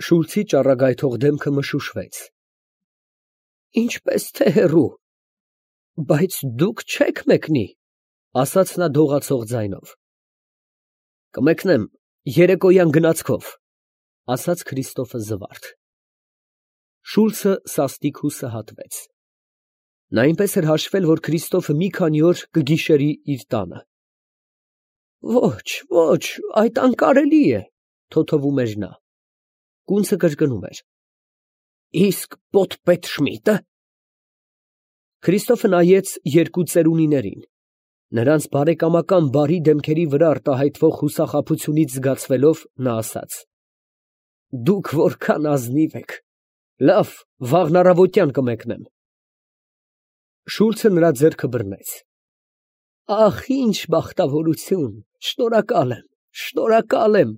Շուլցի ճառագայթող դեմքը մշուշվեց։ Ինչպես թե հեռու, բայց դուք չեք մեկնի, ասաց նա դողացող ձայնով։ Կմեկնեմ երեկոյան գնացքով, ասաց Քրիստոֆը զվարթ։ Շուլցը սաստիկ հուսահատվեց։ Նա այնպես էր հաշվել, որ Քրիստոֆը մի քանի օր կգիշերի իր տանը։ Ոչ, ոչ, այդ անկարելի է, թոթվում էր նա։ Կունցը կրկնում էր. Իսկ պոթպետ Շմիդտը։ Քրիստոֆը նայեց երկու ծերունիներին։ Նրանց բարեկամական բարի դեմքերի վրա արտահայտվող հուսախաբությունից զգացվելով նա ասաց. Դուք որքան ազնիվ եք։ Լավ, վաղն առավոտյան կմեկնեմ։ Շուլցը նրա ձեռքը բռնեց։ Ախ, ինչ բախտավորություն, շնորհակալ եմ։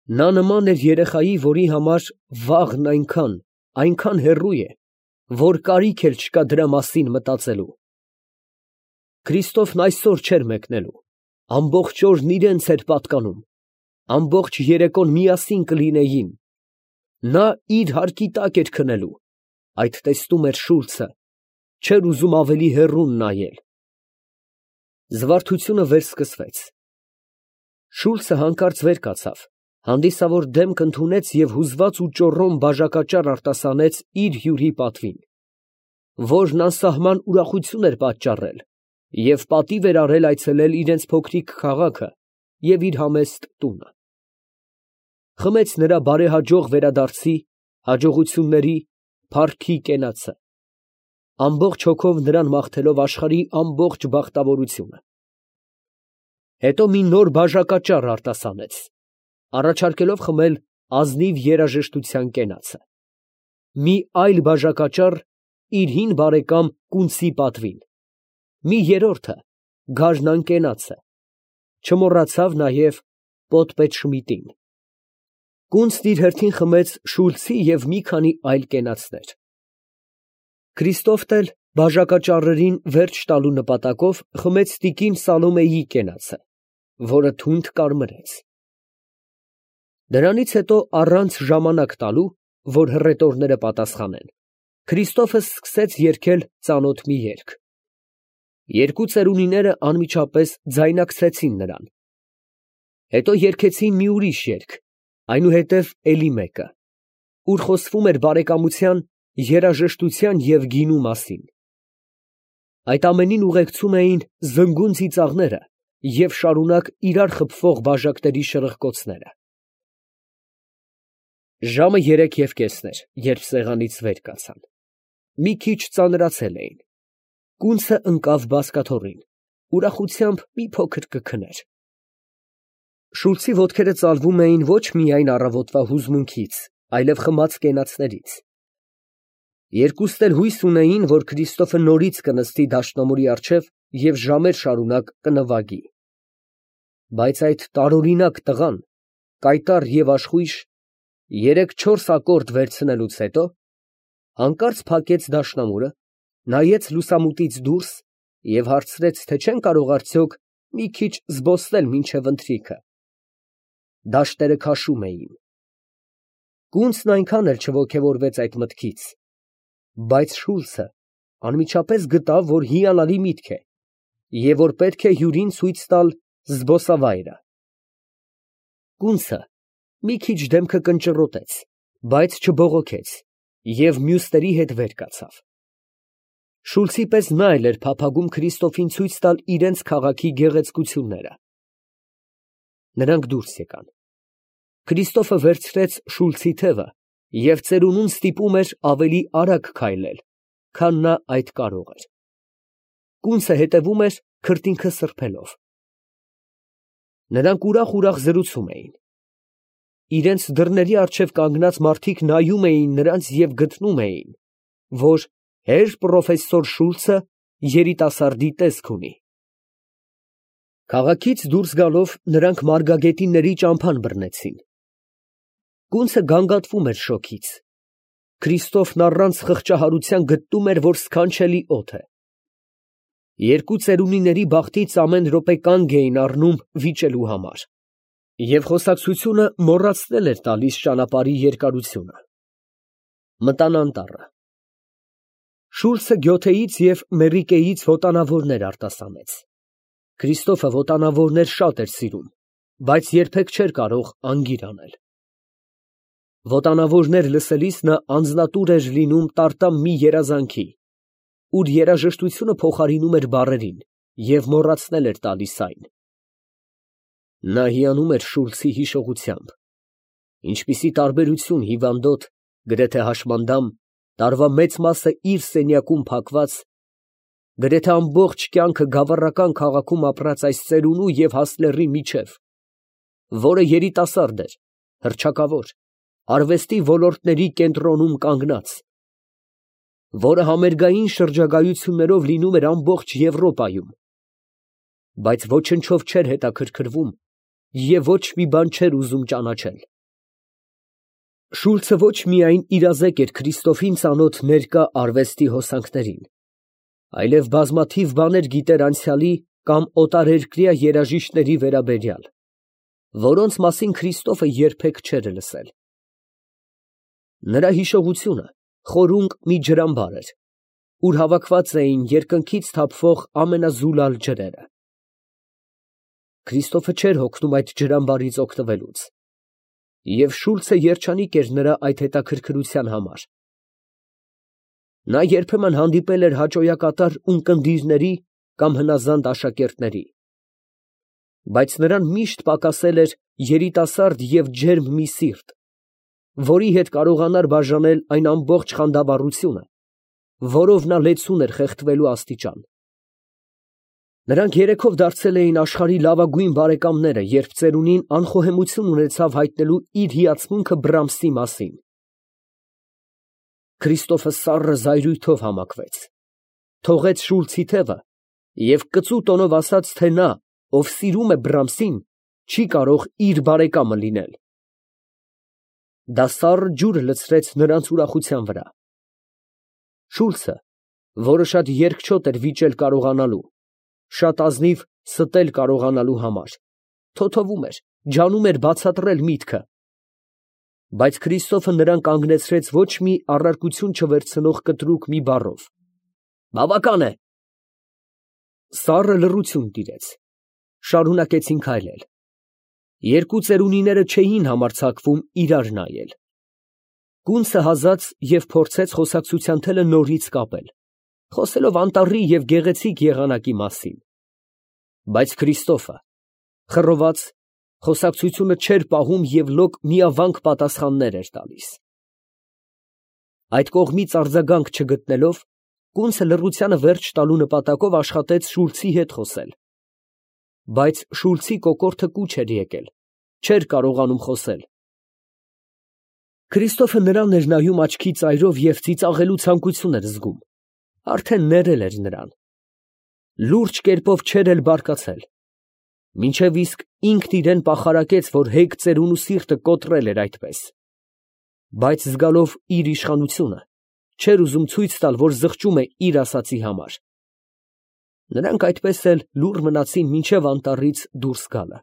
Նա նման էր երեխայի, որի համար վաղն այնքան հեռու է, որ կարիք էլ չկա դրա մասին մտածելու։ Քրիստոֆն այսօր չէր մեկնելու, ամբողջ օրն իրենց էր պատկանում, ամբողջ երեկոն միասին կլինեին։ Նա իր հարկի տակ էր քնելու, այդ տեսնում էր Շուլցը, չէր ուզում ավելի հեռուն նայել։ Զվարթությունը վերսկսվեց։ Շուլցը հանկարծ վեր կացավ, հանդիսավոր դեմք ընդունեց և հուզված ու ճոռոմ բաժակաճառ արտասանեց իր հյուրի պատվին, որն անսահման ուրախություն էր պատճառել և պատիվ էր արել այցելել իրենց փոքրիկ քաղաքը և իր համեստ տունը։ Խմեց նրա բարեհաջող վերադարձի, հաջողությունների, փառքի կենացը, ամբողջ հոգով նրան մաղթելով աշխարհի ամբողջ բախտավորությունը։ Հետո մի նոր բաժակաճառ արտասանեց, առաջարկելով խմել ազնիվ երաժշտության կենացը։ Մի այլ բաժակաճառ իր հին բարեկամ Կունցի պատվին, մի երրորդը գարնան կենացը, չմոռացավ նաև պոթպետ Շմիդտին։ Կունցն իր հերթին խմեց Շուլցի և մի քանի այլ կենացներ։ Քրիստոֆն էլ բաժակաճառերին վերջ տալու նպատակով խմեց տիկին Սալոմեի կենացը, որը թունդ կարմրեց։ Դրանից հետո առանց ժամանակ տալու, որ հռետորները պատասխանեն, Քրիստոֆը սկսեց երգել ծանոթ մի երգ։ Երկու ծերունիները անմիջապես ձայնակցեցին նրան։ Հետո երգեցին մի ուրիշ երգ, այնուհետև էլի մեկը, ուր խոսվում էր բարեկամության, երաժշտության և գինու մասին։ Այդ ամենին ուղեկցում էին զնգուն ծիծաղները և շարունակ իրար խփվող բաժակների շրխկոցները։ Ժամը 3:30 էր, երբ սեղանից վեր կացան։ Մի քիչ ծանրացել էին։ Կունցը ընկավ բազկաթոռին, ուրախությամբ մի փոքր կքներ։ Շուլցի ոտքերը ծալվում էին ոչ միայն առավոտվա հուզմունքից, այլև խմած կենացներից։ Երկուստ էլ հույս ունեին, որ Քրիստոֆը նորից կնստի դաշնամուրի առջև և ժամեր շարունակ կնվագի։ Բայց այդ տարօրինակ տղան, կայտառ և աշխույժ, 3-4 ակորդ վերցնելուց հետո, հանկարծ փակեց դաշնամուրը, նայեց լուսամուտից դուրս և հարցրեց, թե չեն կարող արդյոք մի քիչ զբոսնել մինչև ընթրիքը։ Դաշտերը քաշում էին։ Կունցն այնքան էլ չոգևորվեց այդ մտքից, բայց Շուլցը անմիջապես գտավ, որ հիանալի միտք է և որ պետք է հյուրին ցույց տալ զբոսավայրը։ Կունցը մի քիչ դեմքը կնճռոտեց, բայց չբողոքեց և մյուսների հետ վեր կացավ։ Շուլցի պես նա էլ էր փափագում Քրիստոֆին ցույց տալ իրենց քաղաքի գեղեցկությունները։ Նրանք դուրս եկան։ Քրիստոֆը վերցրեց Շուլցի թևը և ծերունուն ստիպում էր ավելի արագ քայլել, քան նա այդ կարող էր։ Կունցը հետևում էր քրտինքը սրբելով։ Նրանք ուրախ զրուցում էին։ Իրենց դռների առջև կանգնած մարդիկ նայում էին նրանց և գտնում էին, որ հեր պրոֆեսոր Շուլցը երիտասարդի տեսք ունի։ Քաղաքից դուրս գալով նրանք Մարգագետինների ճամփան բռնեցին։ Կունցը գանգատվում էր շոգից։ Քրիստոֆն առանց խղճահարության գտնում էր, որ սքանչելի օդ է։ Երկու ծերունիների բախտից ամեն րոպե կանգ էին առնում վիճելու համար։ Եվ խոսակցությունը մոռացնել էր տալիս ճանապարհի երկարությունը։ Մտան անտառը։ Շուլցը Գյոթեից և Մեռիկեից ոտանավորներ արտասանեց։ Քրիստոֆը ոտանավորներ շատ էր սիրում, բայց երբեք չէր կարող անգիր անել։ Ոտանավորներ լսելիս նա անձնատուր էր լինում տարտամ մի երազանքի, ուր երաժշտությունը փոխարինում էր բառերին և մոռացնել էր տալիս այն։ Նա հիանում էր Շուլցի հիշողությամբ. ինչպիսի տարբերություն հիվանդոտ, գրեթե հաշմանդամ, տարվա մեծ մասը իր սենյակում փակված, գրեթե ամբողջ կյանքը գավառական քաղաքում ապրած այս ծերունու և հասլերի միջև, որը երիտասարդ էր, հռչակավոր, արվեստի ոլորտների կենտրոնում կանգնած, որը համերգային շրջագայություններով լինում էր ամբողջ Եվրոպայում, բայց ոչնչով չէր հետաքրքրվում և ոչ մի բան չէր ուզում ճանաչել։ Շուլցը ոչ միայն իրազեկ էր Քրիստոֆին ծանոթ ներկա արվեստի հոսանքներին, այլև բազմաթիվ բաներ գիտեր անցյալի կամ օտարերկրյա երաժիշտների վերաբերյալ, որոնց մասին Քրիստոֆը երբեք չէր լսել։ Նրա հիշողությունը խորունկ մի ջրամբար էր, ուր հավաքված էին երկնքից թափվող ամենազուլալ ջրերը։ Քրիստոֆը չէր հոգնում այդ ջրամբարից օգտվելուց, և Շուլցը երջանիկ էր նրա այդ հետաքրքրության համար։ Նա երբեմն հանդիպել էր հաճոյակատար ունկնդիրների կամ հնազանդ աշակերտների, բայց նրան միշտ պակասել էր երիտասարդ և ջերմ մի սիրտ, որի հետ կարողանար բաժանել այն ամբողջ խանդավառությունը, որով նա լեցուն էր խեղդվելու աստիճան։ Նրանք երեքով դարձել էին աշխարհի լավագույն բարեկամները, երբ ծերունին անխոհեմություն ունեցավ հայտնելու իր հիացմունքը Բրամսի մասին։ Քրիստոֆը սառը զայրույթով համակվեց, թողեց Շուլցի թևը և կծու տոնով ասաց, թե նա, ով սիրում է Բրամսին, չի կարող իր բարեկամը լինել։ Դա սառը ջուր լցրեց նրանց ուրախության վրա։ Շուլցը, որը շատ երկչոտ էր վիճել կարողանալու, շատ ազնիվ ստել կարողանալու համար, թոթովում էր, ջանում էր բացատրել միտքը, բայց Քրիստոֆը նրան կանգնեցրեց ոչ մի առարկություն չվերցնող կտրուկ մի բառով. «Բավական է»։ Սառը լռություն տիրեց, շարունակեցին քայլել։ Երկու ծերունիները չէին համարձակվում իրար նայել։ Կունցը հազաց և փորձեց խոսակցության թելը նորից կապել, խոսելով անտառի և գեղեցիկ եղանակի մասին, բայց Քրիստոֆը, խռոված, խոսակցությունը չէր պահում և լոկ միավանք պատասխաններ էր տալիս։ Այդ կողմից արձագանք չգտնելով, կունցը լռությանը վերջ տալու նպատակով աշխատեց Շուլցի հետ խոսել, բայց Շուլցի կոկորդը կուչ էր եկել, չէր կարողանում խոսել։ Քրիստոֆը նրան էր նայում աչքի ծայրով և ծիծաղելու ցանկություն էր զգում, արդեն ներել էր նրան։ Լուրջ կերպով չէր էլ բարկացել, մինչև իսկ ինքն իրան պախարակեց, որ հեգ ծերունու սիրտը կոտրել էր այդպես, բայց զգալով իր իշխանությունը, չէր ուզում ցույց տալ, որ զղջում է իր ասածի համար։ Նրանք այդպես էլ լուռ մնացին մինչև անտառից դուրս գալը։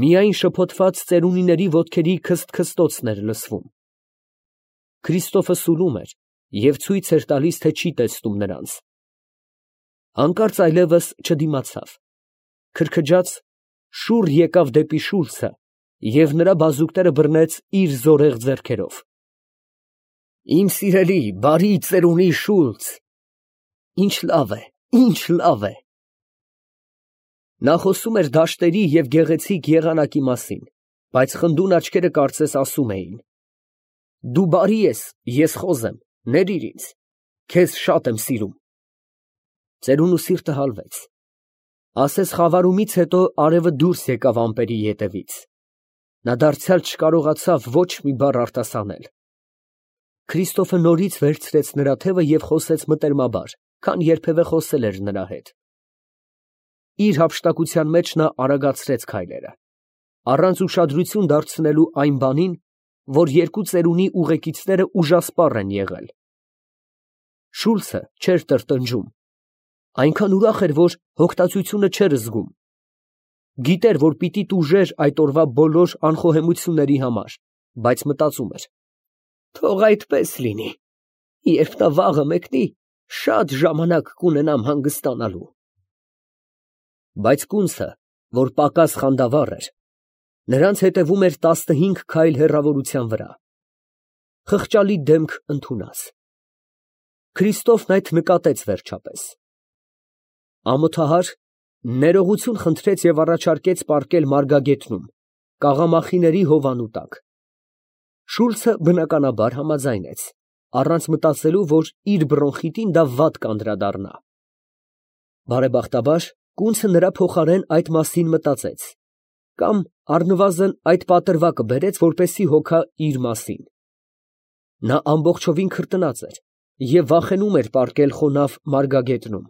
Միայն շփոթված ծերունիների ոտքերի քսթքստոցն էր լսվում։ Քրիստոֆը սուլում էր և ցույց էր տալիս, թե չի տեսնում նրանց։ Հանկարծ այլևս չդիմացավ, քրքջաց, շուռ եկավ դեպի Շուլցը և նրա բազուկները բռնեց իր զորեղ ձեռքերով։ «Իմ սիրելի, բարի ծերունի Շուլց, ինչ լավ է, ինչ լավ է»։ Նա խոսում էր դաշտերի և գեղեցիկ եղանակի մասին, բայց խնդուն աչքերը կարծես ասում էին. «Դու բարի ես, ես խոզ եմ, ներիր ինձ, քեզ շատ եմ սիրում»։ Ծերունու սիրտը հալվեց։ Ասես խավարումից հետո արևը դուրս եկավ ամպերի ետևից։ Նա դարձյալ չկարողացավ ոչ մի բառ արտասանել։ Քրիստոֆը նորից վերցրեց նրա թևը և խոսեց մտերմաբար, քան երբևէ խոսել էր նրա հետ։ Իր հափշտակության մեջ նա արագացրեց քայլերը, առանց ուշադրություն դարձնելու այն բանին, որ երկու ծերունի ուղեկիցները ուժասպառ են եղել։ Շուլցը չէր տրտնջում, այնքան ուրախ էր, որ հոգտածությունը չէր զգում։ Գիտեր, որ պիտի տուժեր այդ օրվա բոլոր անխոհեմությունների համար, բայց մտածում էր. թող այդպես լինի, երբ նա վաղը մեկնի, շատ ժամանակ կունենամ հանգստանալու։ Բայց կունցը, որ պակաս խանդավառ էր, նրանց հետևում էր 15 քայլ հեռավորության վրա։ Խղճալի դեմք ընդունած։ Քրիստոֆն այդ նկատեց վերջապես։ Ամոթահար ներողություն խնդրեց և առաջարկեց պառկել մարգագետնում, կաղամախիների հովանու տակ։ Շուլցը բնականաբար համաձայնեց, առանց մտածելու, որ իր բրոնխիտին դա վատ կանդրադառնա։ Բարեբախտաբար, կունցը նրա փոխարեն այդ մասին մտածեց, կամ առնվազն այդ պատրվակը բերեց, որպեսզի հոգա իր մասին։ Նա ամբողջովին քրտնած էր և վախենում էր պառկել խոնավ մարգագետնում։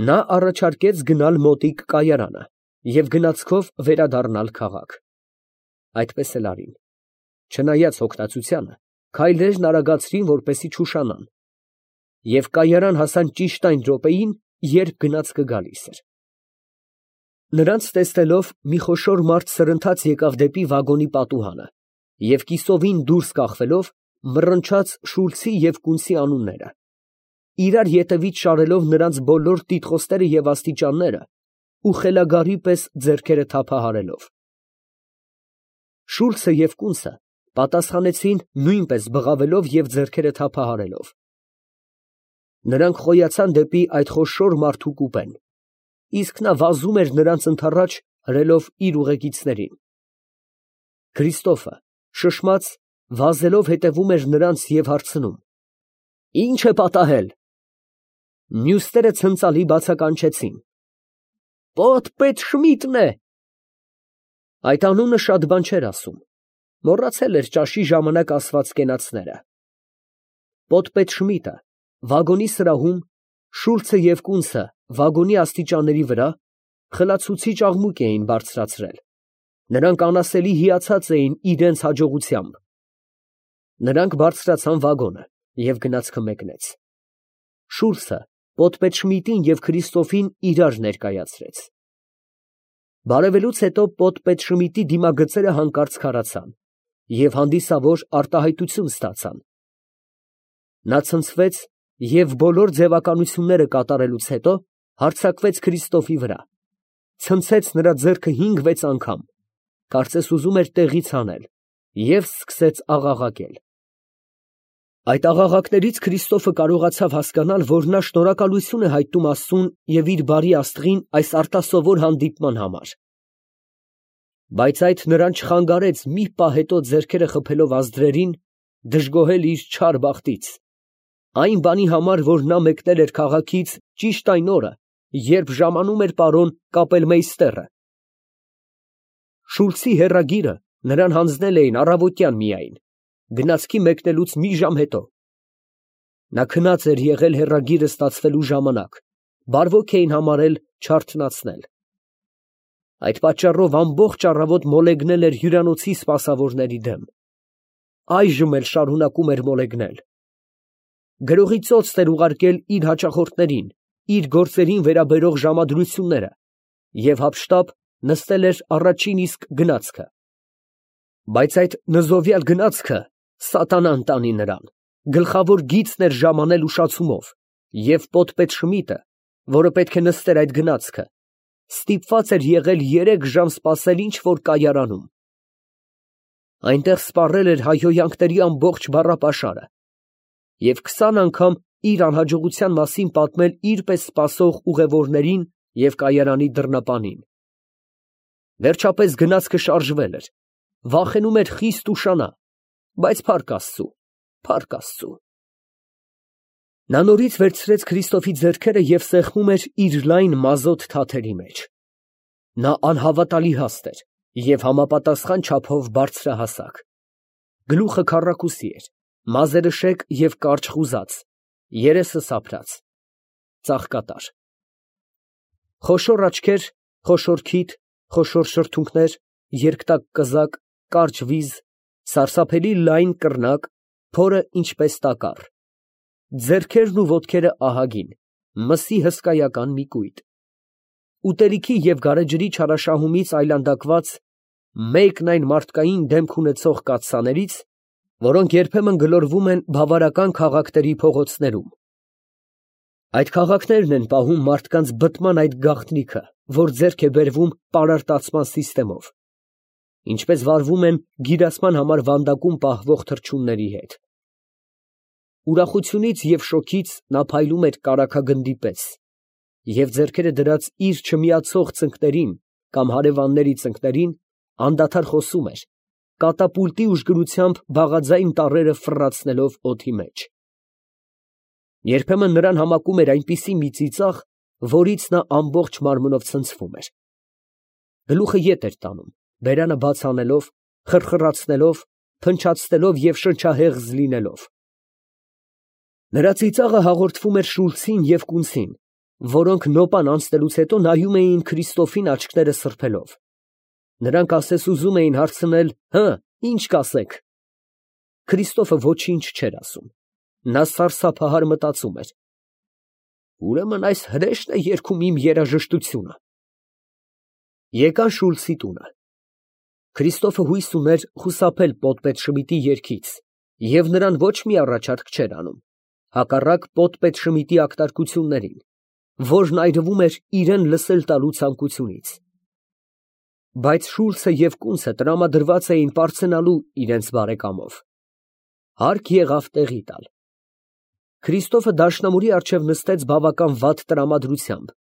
Նա առաջարկեց գնալ մոտիկ կայարանը և գնացքով վերադառնալ քաղաք։ Այդպես էլ արին։ Չնայած հոգնածությանը, քայլերն արագացրին, որպեսզի չուշանան, և կայարան հասան ճիշտ այն րոպեին, երբ գնացքը գալիս էր։ Նրանց տեսնելով, մի խոշոր մարդ սրընթաց եկավ դեպի վագոնի պատուհանը և կիսովին դուրս կախվելով, մռնչաց Շուլցի և կունցի անունները, իրար ետևից շարելով նրանց բոլոր տիտղոսները և աստիճանները ու խելագարի պես ձեռքերը թափահարելով։ Շուլցը և կունցը պատասխանեցին նույնպես բղավելով և ձեռքերը թափահարելով։ Նրանք խոյացան դեպի այդ խոշոր մարդու կուպեն, իսկ նա վազում էր նրանց ընդառաջ հրելով իր ուղեկիցներին։ Քրիստոֆը, շշմած, վազելով հետևում էր նրանց և հարցնում. «Ի՞նչ է պատահել»։ Մյուսները ցնծալի բացականչեցին. «Պոտ֊պետ Շմիդն է»։ Այդ անունը շատ բան չէր ասում, մոռացել էր ճաշի ժամանակ ասված կենացները։ Պոտ֊պետ Շմիդը վագոնի սրահում, Շուլցը և կունցը վագոնի աստիճանների վրա խլացուցիչ աղմուկ էին բարձրացրել, նրանք անասելի հիացած էին իրանց հաջողությամբ։ Նրանք բարձրացան վագոնը և գնացքը մեկնեց։ Շուլցը պոտ֊պետ Շմիդին և Քրիստոֆին իրար ներկայացրեց։ Բարևելուց հետո պոտ֊պետ Շմիդի դիմագծերը հանկարծ քարացան և հանդիսավոր արտահայտություն ստացան։ Նա ցնցվեց և բոլոր ձևականությունները կատարելուց հետո հարձակվեց Քրիստոֆի վրա, ցնցեց նրա ձեռքը 5-6 անգամ, կարծես ուզում էր տեղից հանել, և սկսեց աղաղակել։ Այդ աղաղակներից Քրիստոֆը կարողացավ հասկանալ, որ նա շնորհակալություն է հայտնում Աստծուն և իր բարի աստղին այս արտասովոր հանդիպման համար։ Բայց այդ նրան չխանգարեց մի պահ հետո ձեռքերը խփելով ազդրերին, դժգոհել իր չար բախտից, այն բանի համար, որ նա մեկնել էր քաղաքից ճիշտ այն օրը, երբ ժամանում էր պարոն կապելմեյստերը։ Շուլցի հեռագիրը նրան հանձնել էին առավոտյան միայն, գնացքի մեկնելուց մի ժամ հետո։ Նա քնած էր եղել հեռագիրը ստացվելու ժամանակ, բարվոք էին համարել չարթնացնել։ Այդ պատճառով ամբողջ առավոտ մոլեգնել էր հյուրանոցի սպասավորների դեմ, այժմ էլ շարունակում էր մոլեգնել։ Գրողի ծոցն էր ուղարկել իր հաճախորդներին իր գործերին վերաբերող ժամադրությունները և հափշտապ նստել էր առաջին իսկ գնացքը։ Բայց այդ նզովյալ գնացքը սատանան տանի նրան, գլխավոր գիծն էր ժամանել ուշացումով, և պոտ֊պետ Շմիդը, որը պետք է նստեր այդ գնացքը, ստիպված էր եղել 3 ժամ սպասել ինչ֊որ կայարանում։ Այնտեղ սպառել էր հայհոյանքների ամբողջ բառապաշարը և 20 անգամ իր անհաջողության մասին պատմել իր պես սպասող ուղևորներին և կայարանի դռնապանին։ Վերջապես գնացքը շարժվել էր, վախենում էր խիստ ուշանա, բայց փառք Աստծու, փառք Աստծու։ Նա նորից վերցրեց Քրիստոֆի ձեռքերը և սեղմում էր իր լայն մազոտ թաթերի մեջ։ Նա անհավատալի հաստ էր և համապատասխան չափով բարձրահասակ։ Գլուխը քառակուսի էր, մազերը շեկ և կարճ խուզած, երեսը սափրած, ծաղկատար։ Խոշոր աչքեր, խոշոր քիթ, խոշոր շրթունքներ, երկտակ կզակ, կարճ վիզ, սարսափելի լայն կռնակ, փորը ինչպես տակառ, ձեռքերն ու ոտքերը ահագին, մսի հսկայական մի կույտ։ ուտելիքի և գարեջրի չարաշահումից այլանդակված, մեկն այն մարդկային դեմք ունեցող կաթսաներից, որոնք երբեմն գլորվում են բավարարական քաղաքների փողոցներում։ Այդ քաղաքներն են պահում մարդկանց բտման այդ գաղտնիքը, որ ձեռք է բերվում պարարտացման սիստեմով, ինչպես վարվում են գիրացման համար վանդակում պահվող թռչունների հետ։ Ուրախությունից և շոգից նա փայլում էր կարագագնդի պես և ձեռքերը դրած իր չմիացող ծնկներին կամ հարևանների ծնկներին անդադար խոսում էր, կատապուլտի ուժգնությամբ բաղաձայն տառերը ֆռռացնելով օդի մեջ։ Երբեմն նրան համակում էր այնպիսի մի ծիծաղ, որից նա ամբողջ մարմնով ցնցվում էր։ Գլուխը ետ էր տանում, բերանը բաց անելով, խրխրացնելով, փնչացնելով և շնչահեղձ լինելով։ Նրա ծիծաղը հաղորդվում էր Շուլցին և Կունցին, որոնք նոպան անցնելուց հետո նայում էին Քրիստոֆին աչքները սրբելով։ Նրանք ասես ուզում էին հարցնել. «Հը, ի՞նչ կասեք»։ Քրիստոֆը ոչինչ չէր ասում։ Նա սարսափահար մտածում էր. «Ուրեմն այս հրեշտն է երգում իմ երաժշտությունը»։ Եկան Շուլցի տունը։ Քրիստոֆը հույս ուներ խուսափել պոդպետ Շմիդտի երգից և նրան ոչ մի առաջարկ չէր անում, հակառակ պոդպետ Շմիդտի ակտարկություններին, որն այրվում էր իրան լսել տալու ցանկությունից։ Բայց Շուլցը և Կունցը տրամադրված էին պարծենալու իրենց բարեկամով։ Հարկ եղավ տեղի տալ։ Քրիստոֆը դաշնամուրի առջև նստեց բավական վատ տրամադրությամբ։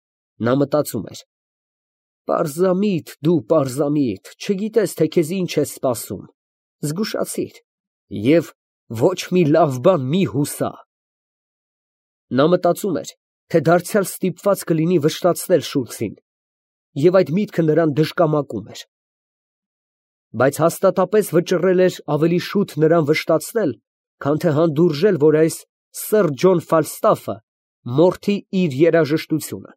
Նա մտածում էր. «Պարզամիտ, դու պարզամիտ, չգիտես, թե քեզ ինչ է սպասում, զգուշացիր և ոչ մի լավ բան մի հուսա»։ Նա մտածում էր, թե դարձյալ ստիպված կլինի վշտացնել Շուլցին, և այդ միտքը նրան դժկամակում էր։ Բայց հաստատապես վճռել էր ավելի շուտ նրան վշտացնել, քան թե հանդուրժել, որ այս սըր Ջոն Ֆալստաֆը մորթի իր երաժշտությունը։